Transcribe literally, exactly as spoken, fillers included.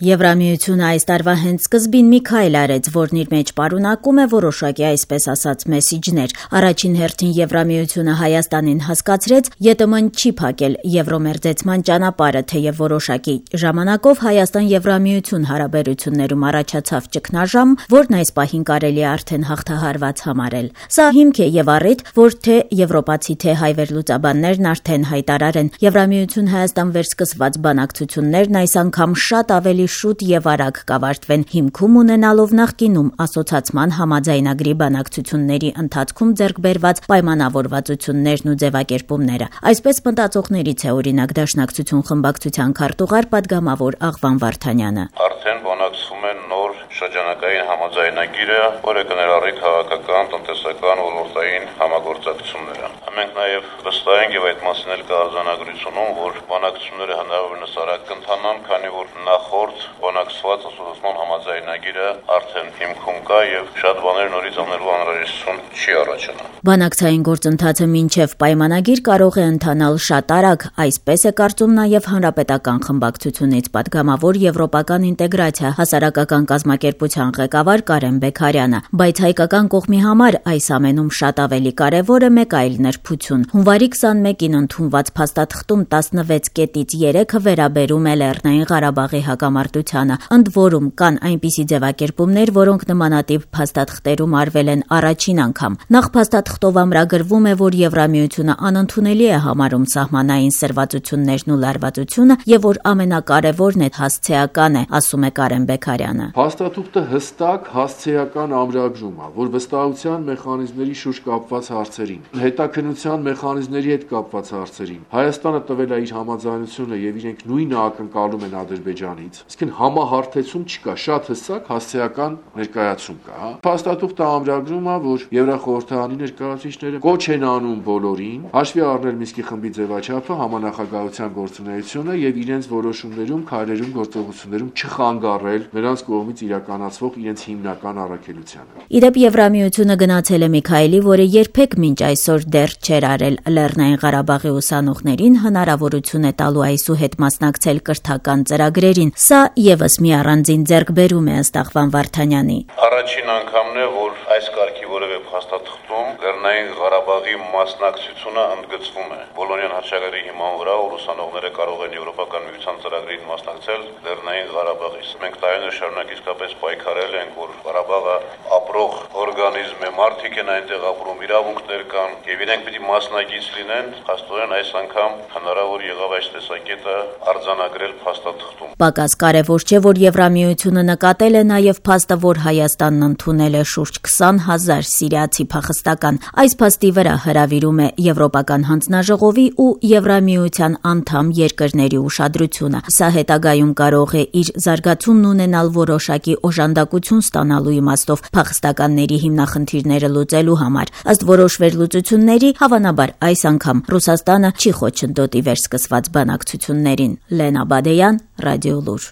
Եվրամիությունը այս տարվա հենց սկզբին մի քայլ արեց, որն իր մեջ պարունակում է որոշակի այսպես ասած մեսիջներ։ Առաջին հերթին Եվրամիությունը Հայաստանին հասկացրեց, ԵՏՄ-ն չի փակել եվրոմերձեցման ճանապարհը, թեև որոշակի ժամանակով Հայաստան-Եվրամիություն հարաբերություններում առաջացավ ճգնաժամ, որն այս պահին կարելի է արդեն հաղթահարված համարել։ Սա հիմք է եւ առիթ, որ թե եվրոպացի, թե հայ վերլուծաբաններն արդեն հայտարարեն, Եվրամիություն-Հայաստան վերսկսված բանակցություններն այս անգամ շատ ավելի շուտ եւ արագ կավարտվեն, հիմքում ունենալով նախկինում ասոցացման համաձայնագրի բանակցությունների ընթացքում ձեռք բերված պայմանավորվածություններն ու ձևակերպումները։ Այսպես մտածողներից է օրինակ Դաշնակցություն խմբակցության քարտուղար պատգամավոր Աղվան Վարդանյանը։ Արդեն բանակցվում են նոր շրջանակային համաձայնագիրը, որը կներառի քաղաքական, տնտեսական, ոլորտային համագործակցությունները։ Մենք նաև վստահ ենք եւ այդ մասին էլ կա արձանագրությունում, որ բանակցությունները հնարավորինս արագ կընթանան, քանի որ նախորդ բանակցված ասոցիացիոն համաձայնագիրը արդեն հիմքում կա եւ շատ բաներ նորից անելու անհրաժեշտություն չի առաջանա։ Բանակցային գործընթացը մինչև պայմանագիր կարող է ընթանալ շատ արագ, այսպես է կարծում նաև Հանրապետական խմբակցությունից պատգամավոր Եվրոպական ինտեգրացիա հասարակական կազմակերպության ղեկավար Կարեն Բեգարյանը, բայց հայկական կողմի համար այս ամենում շատ ավելի կարևոր է մեկ այլ նրբություն։ Հունվարի քսանմեկին ընդունված փաստաթղթում տասնվեց կետից երեքը վերաբերում է Լեռնային Ղարաբաղի հակամարտությանը, ընդ որում կան այնպիսի ձևակերպումներ, որոնք նմանատիպ փաստաթղթերում արվել են առաջին անգամ։ Նախ փաստաթղթով ամրագրվում է, որ Եվրամիությունը անընդունելի է համարում սահմանային սրվածություններն ու լարվածությունը եւ որ ամենակարևորն է հասցեական է, ասում է Կարեն Բեգարյանը։ Փաստաթուղթը հստակ հասցեական ամրագրում է, որ վստահության մեխանիզմների շուրջ կապված հարցերին, հետաքննության մեխանիզմների հետ կապված հարցերին Հայաստանը տվել է իր համաձայնությունը եւ իրենք նույնը ակնկալում են Ադրբեջանից, իսկ համահարթեցում չկա, շատ հստակ հասցեական ներկայացում կա, հա։ Փաստաթուղթը ամրագրում է, որ Եվրախորհրդարանի ներկայացուցիչները կոչ են անում բոլորին հաշվի առնել Մինսկի խմբի ձևաչափը, համանախագահության գործունեությունը եւ իրենց որոշումներում, քայլերում, գործողություններում չխանգարել նրանց կողմից իրականացվող իրենց հիմնական առաքելությանը։ Իդեպ Եվրամիությունը գնացել է Միքայելի, որը երբեք մինչ այսօր դեռ չէր արել Լեռնային Ղարաբաղի ուսանողներին հնարավորություն է տալու այսուհետ մասնակցել կրթական ծրագրերին։ Սա եւս մի առանձին ձեռքբերում է ըստ Աղվան Վարդանյանի։ Առաջին անգամն է, որ այս կարգի որևէ փաստաթղթում Լեռնային Ղարաբաղի մասնակցությունը ընդգծվում է։ Բոլոնյան հռչակագրի հիման վրա ուսանողները կարող են Եվրոպական միության ծրագրին մասնակցել Լեռնային Ղարաբաղից։ Մենք տարիներ շարունակ իսկապես պայքարել ենք, որ Ղարաբաղը ապրող օրգանիզմ է, մարդիկ են այնտեղ ապրում, իրավունքներ կան եւ իրենք պիտի մասնակից լինեն։ Աստորեն այս անգամ հնարավոր եղավ այս տեսակետը արձանագրել փաստաթղթում։ Պակաս կարևոր չէ, որ Եվրամիությունը նկատել է նաև փաստը, որ Հայաստանն ընդունել է շուրջ քսան հազար սիրիացի փախստական։ Այս փաստի վրա հրավիրում է Եվրոպական հանձնաժողովի ու Եվրամիության անդամ երկրների ուշադրությունը։ Սա հետագայում կարող է իր զարգացումն ունենալ որոշակի օժանդակություն ստանալու իմաստով փախստականների հիմնախնդիրները լուծելու համար։ Ըստ որոշ վերլուծությունների, հավանաբար այս անգամ Ռուսաստանը չի խոչընդոտի վերսկսված բանակցություններին։ Լենա Բադեյան, Ռադիոլուր։